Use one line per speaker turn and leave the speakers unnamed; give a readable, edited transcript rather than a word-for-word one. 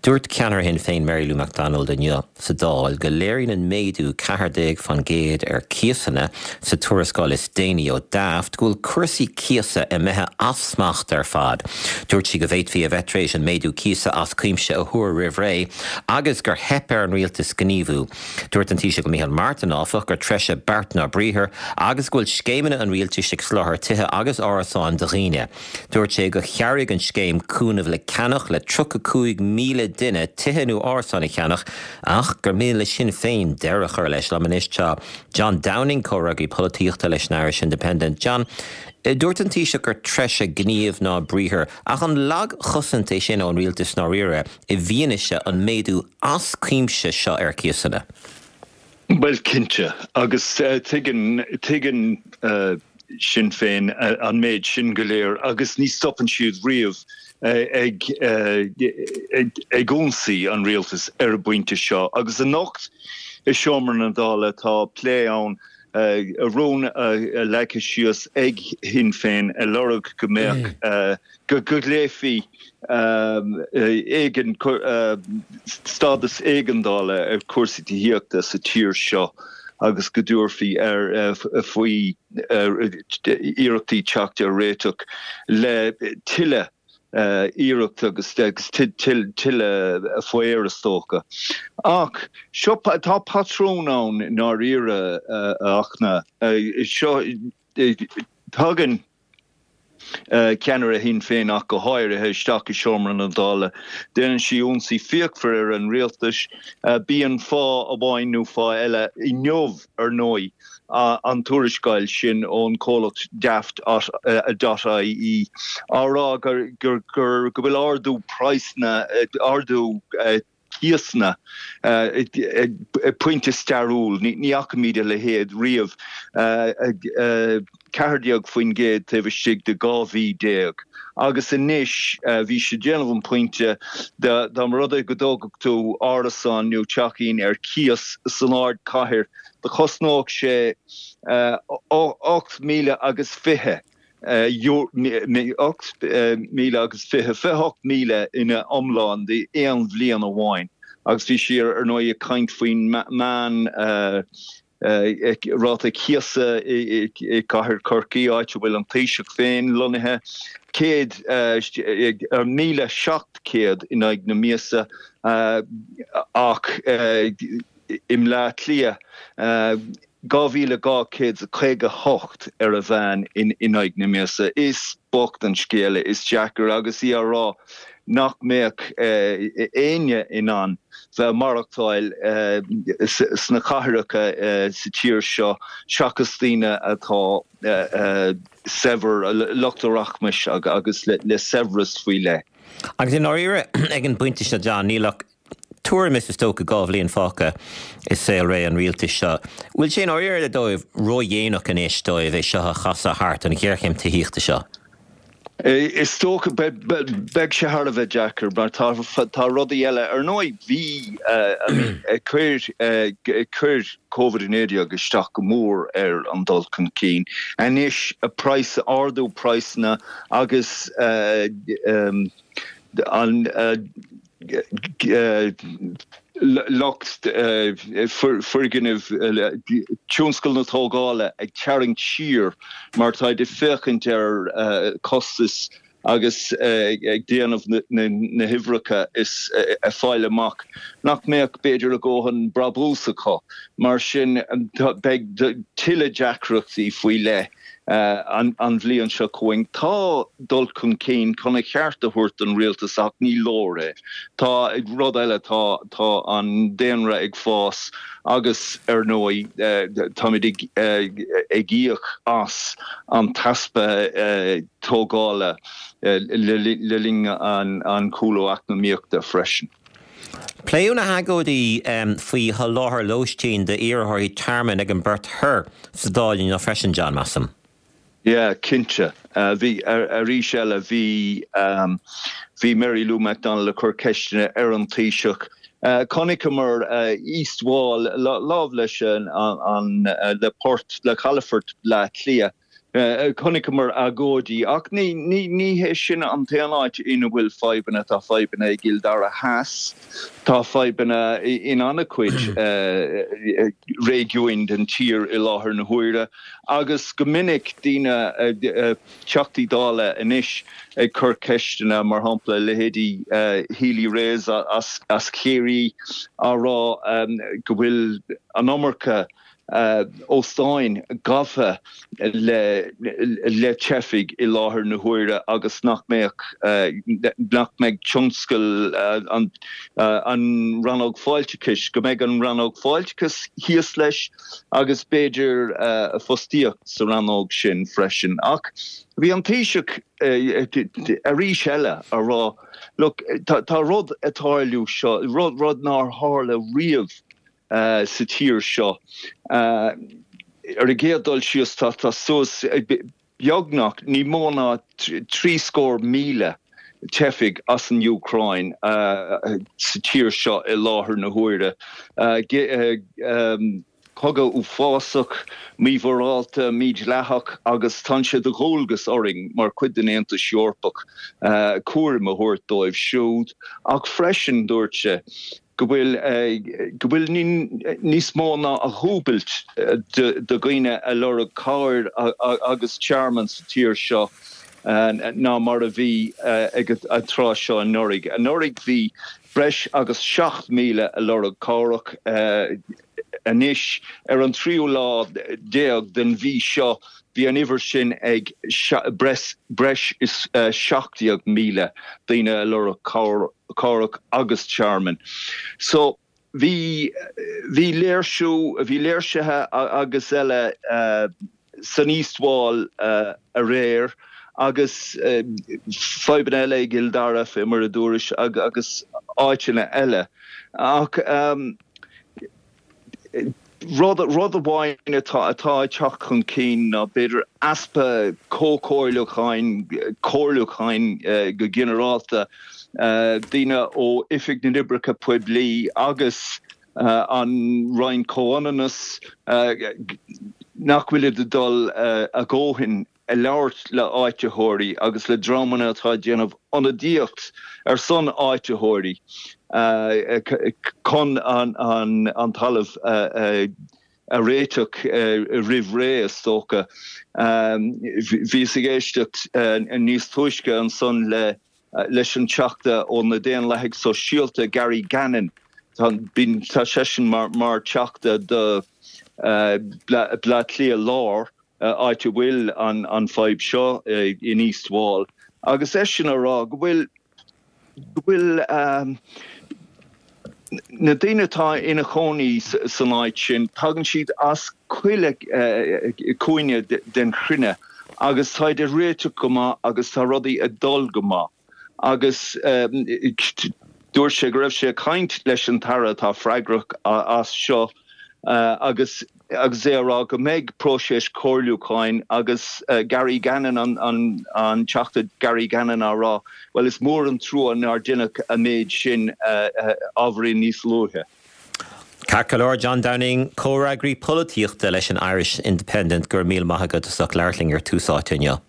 Dúirt ceannaire Shinn Féin Mary Lou McDonald inniu sa Dáil go léiríonn an méadú 14% ar cíosanna sa tuarascáil is déanaí ó Daft go bhfuil cúrsaí cíosa imithe as smacht ar fad. Dúirt sí go bhféadfaí a bheith tar éis an méadú cíosa as cuimse a thuar roimh ré agus gur theip ar an rialtas gníomhú. Dúirt an Taoiseach Micheál Martin, áfach, gur treise beart ná briathar agus go bhfuil scéimeanna an rialtais ag soláthar tithe agus árasáin do dhaoine. Dúirt sé gur chabhraigh an scéim Cúnamh le Ceannach le 35,000 duine tithe nó árasáin a cheannach ach gur mian le Sinn Féin deireadh a chur leis. Liom anois tá John Downing, comhfhreagraí polaitíochta leis an Irish Independent. John, dúirt an Taoiseach gur treise gníomh ná briathar ach an lagchosaint é sin ón rialtas i ndáiríre i bhfianaise an méadú as cuimse seo ar cíosanna?
Bhuel, cinnte, agus tuigeann, tuigeann Sinn Féin an méid sin go léir agus ní stopann siad riamh ag, ag ionsaí an rialtais ar an bpointe seo. Agus anocht i seomra na Dála tá plé ann, rún leagtha síos ag Sinn Féin ag lorg go mbeadh, go nglaofaí éigean, stádas éigeandála ar chúrsaí tithíochta sa tír seo agus go dtabharfaí ar faoi iarrachtaí teacht ar réiteach le tuilleadh iarracht agus tuilleadh faobhair is dócha. Ach seo, tá patrún ann i ndáiríre, a Fhachtna. Seo, tagann. ceannaire Shinn Féin ach go háirithe, isteach i seomra na Dála. Déanann sí ionsaí fíochmhar ar an rialtas. Bíonn fáth amháin nó fáth eile. Inniu, ar ndóigh, an tuarascáil sin ón chomhlacht Daft dot ie á rá go bhfuil ardú praghsanna, ardú cíosanna ag pointe stairiúil. Ní fhacaimid a leithéid riamh, 14% taobh istigh de 12 mhí. Agus anois, bhí siad ag déanamh an pointe, dá mba rud é go dtógfadh tú árasán nó teachín ar cíos san ardchathair, do chosnódh sé 8,000 agus 20. 8,000 agus 20, 28,000 ina iomlán d'aon bhliain amháin agus bhí sí ar ndóigh ag caint faoin meán ráta cíosa i gcathair Chorcaí, áit a bhfuil an Taoiseach féin lonnaithe, 100, 1,700 in aghaidh na míosa ach i mBleá Cliath, 2,258 ar a mheán in aghaidh na míosa. Is bocht an scéal é, is deacair agus í á rá nach mbeadh éinne in ann bheith ag maireachtáil sna cathracha sa tír seo seachas daoine atá saibhir, lucht rachmais agus le saibhreas faoi leith.
Agus i ndáiríre, ag an bpointe seo, John, níl ach tuairim is is dócha 2 bhliain fágtha i saolré an rialtais seo. Bhfuil sé i ndáiríre dóibh ródhéanach anois dóibh é seo a chasadh thart, an ghéarchéim tithíochta seo?
Is dócha, beidh sé thar a bheith deacair mar tá tá rudaí eile. Ar ndóigh bhí, I mean, chuir chuir Covid-19 isteach go mór ar an dul chun cinn. Anois praghas, ardú praghsanna agus an lucht foirgnimh, tionscal na tógála ag tarraingt siar mar táid ag féachaint ar chostais agus ag déanamh na huimhreacha is ag fáil amach nach mbeadh b'fhéidir a ndóthain brabús acu. Mar sin beidh tuilleadh deacrachtaí faoi leith an bhliain seo chugainn. Tá dul chun cinn chun a cheart a thabhairt don rialtas ach ní leor é. Tá rud eile, tá tá an daonra ag fás agus ar ndóigh táimid ag ag íoc as an t-easpa tógála le linn an chúlú eacnamaíochta freisin.
Pléadh na hagóidí faoi sholáthar lóistín d'iarrthóirí tearmainn ag an bPort Thoir sa Dáil inniu freisin, John, measaim.
Yeah, cinnte. Bhí, arís eile, bhí, bhí Mary Lou McDonald ag cur ceisteanna ar an Taoiseach. Chonaiceamar East Wall, láimh leis an, le port, le calafort Bhleá Cliath. Chonaiceamar agóidí ach ní ní hé sin an t-aon áit ina bhfuil fadhbanna, tá fadhbanna i gCill Dara Theas, tá fadhbanna in an-chuid réigiúin den tír i láthair na huaire agus go minic daoine, Teachtaí Dála anois ag cur ceisteanna, mar shampla leithéidí Healy-Raes as Ciarraí á rá go bhfuil an iomarca óstáin gafa le le teifigh i láthair na huaire agus nach mbeadh nach mbeidh tionscal an an rannóg fáilteachais, go mbeidh an rannóg fáilteachais thíos leis agus b'fhéidir fostaíocht sa rannóg sin freisin. Ach bhí an Taoiseach arís eile á rá, look, tá rud ag tarlú seo, rud rud nár tharla riamh sa tír seo. Ar an gcéad dul síos, tá suas beagnach ní mó ná 73,000 teifigh as an Úcráin sa tír seo i láthair na huaire. Cogadh uafásach, mímhorálta, mídhleathach agus tá sé de dhualgas orainn mar chuid den Aontas Eorpach cúram a thabhairt dóibh siúd ach freisin, dúirt sé, go bhfuil go bhfuil níos mó ná a dhúbailt de dhaoine ag lorg cabhair agus tearmann sa tír seo ná mar a bhí ag an tráth seo anuraidh. Anuraidh bhí breis agus 7,000 ag lorg cabhrach. Anois, ar an tríú lá déag den mhí seo, bhí an uimhir sin ag breis is 17,000 daoine ag lorg cabhrach agus tearmainn. So, bhí, bhí léirsiú, bhí léirsithe agus eile san East Wall aréir agus fadhbanna eile i gCill Dara, fé mar a dúrais, agus áiteanna eile. Ach rud, rud amháin atá, atá ag teacht chun cinn ná b'fhéidir easpa comhchomhairliúcháin, comhairliúcháin go ginearálta, daoine ó Oifig na nOibreacha Poiblí agus an Roinn Comhionannas, nach bhfuilid ag dul a dhóthain ag labhairt le áititheoirí agus le dreamanna atá ag déanamh ionadaíocht ar son áititheoirí chun an talamh a réiteach roimh ré, is dócha. Bhíos ag éisteacht níos túisce ansan le leis an Teachta ó na Daonlathaigh Sóisialta, Gary Gannon. Tá seisean mar Theachta do Bleá Cliath Láir, áit a bhfuil an fadhb seo in East Wall, agus eisean ag rá go bhfuil go bhfuil na daoine atá ina chónaí san áit sin, tagann siad as chuile chúinne den chruinne agus táid ag réiteach go maith agus tá rudaí ag dul go maith. Agus dúirt sé go raibh sé ag caint leis an tAire atá freagrach as seo agus agus é ag rá go mbeidh próiseas comhairliúcháin agus Gary Gannon, an Teachta Gary Gannon á rá, bhuel is mór an trua nár deineadh an méid sin ábhairín níos luaithe.
Ceart go leor, John Downing, comhfhreagraí polaitíochta leis an Irish Independent, go raibh míle maith agat as ucht labhairt linn ar Tús Áite inniu.